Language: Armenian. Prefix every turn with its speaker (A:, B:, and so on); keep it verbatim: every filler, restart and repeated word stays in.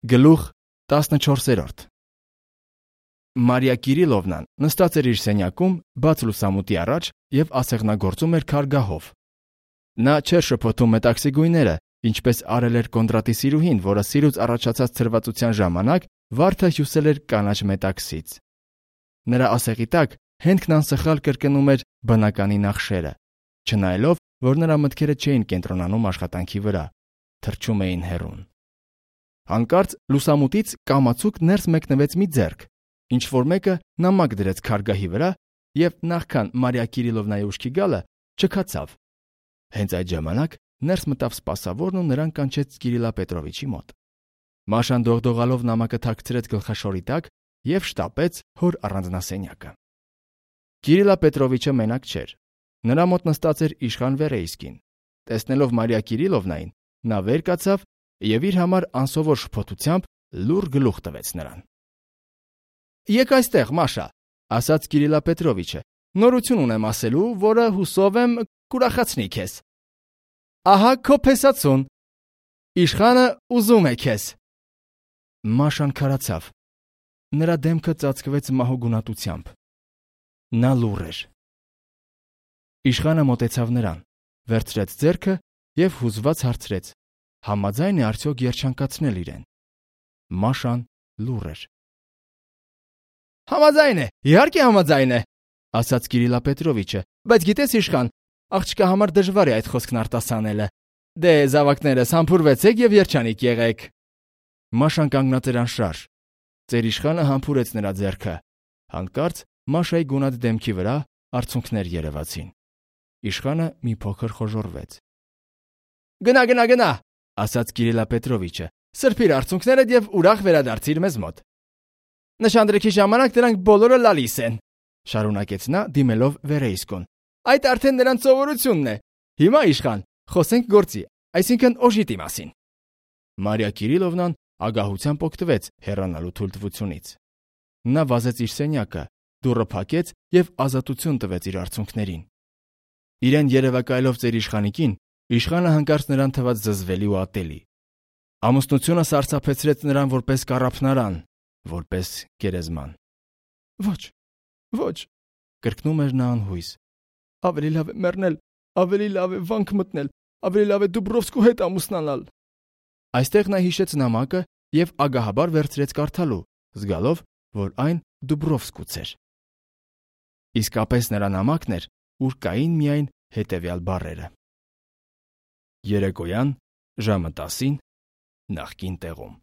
A: Գլուխ տասնչորսերորդ Մարիա Կիրիլովնան նստած էր իր սենյակում բաց լուսամուտի առաջ և ասեղնագործում էր քարգահով։ Նա չէր շփոթում մետաքսի գույները, ինչպես արել էր Կոնդրատի սիրուհին, որը սիրուց առաջացած ցրվածության ժամանակ վարդը հյուսել էր կանաչ մետաքսից։ Նրա ասեղի տակ հենքն անսխալ կրկնում էր բնականի նախշերը, չնայելով, որ նրա մտքերը չէին կենտրոնանում աշխատանքի վրա, թռչում էին հեռուն։ Հանկարծ լուսամուտից կամացուկ ներս մեկնվեց մի ձեռք, ինչ-որ մեկը նամակ դրեց քարգահի վրա և նախքան Մարիա Կիրիլովնայի ուշքի գալը չքացավ։ Հենց այդ ժամանակ ներս մտավ սպասավորն ու նրան կանչեց Կիրիլա Պետրովիչի մոտ։ Մաշան դողդողալով նամակը թաքցրեց գլխաշորի տակ և շտապեց հոր առանձնասենյակը։ Կիրիլա Պետրովիչը մենակ չէր։ Նրա մոտ նստած էր իշխան Վերեյսկին։ Տեսնելով Մարիա Կիրիլովնային, նա վեր կացավ և իր համար անսովոր շփոթությամբ լուռ գլուխ տվեց նրան։ «Եկ այստեղ, Մաշա», ասաց Կիրիլա Պետրովիչը, «նորություն ունեմ ասելու, որը հուսով եմ կուրախացնի քեզ։ Ահա քո փեսացուն։ Իշխանը ուզում է քեզ»։ Մաշան քարացավ։ Նրա դեմքը ծածկվեց մահոգունատությամբ։ Նա լուռ էր։ Իշխանը մոտեցավ նրան, վերցրեց ձեռքը և հուզված հարցրեց. համաձայն է արդյոք երջանկացնել իրեն։ Մաշան լուռ էր։ «Համաձայն է, իհարկե համաձայն է», ասաց Կիրիլա Պետրովիչը, «բայց գիտես, իշխան, աղջկա համար դժվար է այդ խոսքն արտասանելը։ Դե, զավակներս, համբուրվեցեք և երջանիկ եղեք»։ Մաշան կանգնած էր անշարժ։ Ծեր իշխանը համբուրեց նրա ձեռքը։ Հանկարծ Մաշայի գունատ դեմքի վրա արցունքներ երևացին։ Իշխանը մի փոքր խոժոռվեց։ «Գնա, գնա, գնա», ասաց Կիրիլա Պետրովիչը, «սրբիր արցունքներդ և ուրախ վերադարձիր մեզ մոտ։ Նշանдрեքի ժամանակ դրանք բոլորը լալիս են», շարունակեց նա, դիմելով Վերեյսկուն։ «Այդ արդեն նրանց սովորությունն է։ Հիմա, իշխան, խոսենք գործի, այսինքն օժիտի մասին»։ Մարիա Կիրիլովնան ագահությամբ օգտվեց հեռանալու թույլտվությունից։ Նա վազեց իր սենյակը, դուռը փակեց և ազատություն տվեց իր արցունքներին։ Իրեն երևակայելով ծեր իշխանիկին, իշխանը հանկարծ նրան թվաց զզվելի ու ատելի։ Ամուսնությունը սարսափեցրեց նրան որպես կառափնարան, որպես գերեզման։ «Ոչ, ոչ», կրկնում էր նա անհույս։ «Ավելի լավ է մեռնել, ավելի լավ է վանք մտնել, ավելի լավ է Դուբրովսկու հետ ամուսնանալ»։ Այստեղ նա հիշեց նամակը և ագահաբար վերցրեց կարդալու, զգալով, որ այն Դուբրովսկուց էր։ Իսկապես նրա նամակն էր, ուր կային միայն հետևյալ բառերը. երեկոյան ժամը տասին նախկին տեղում։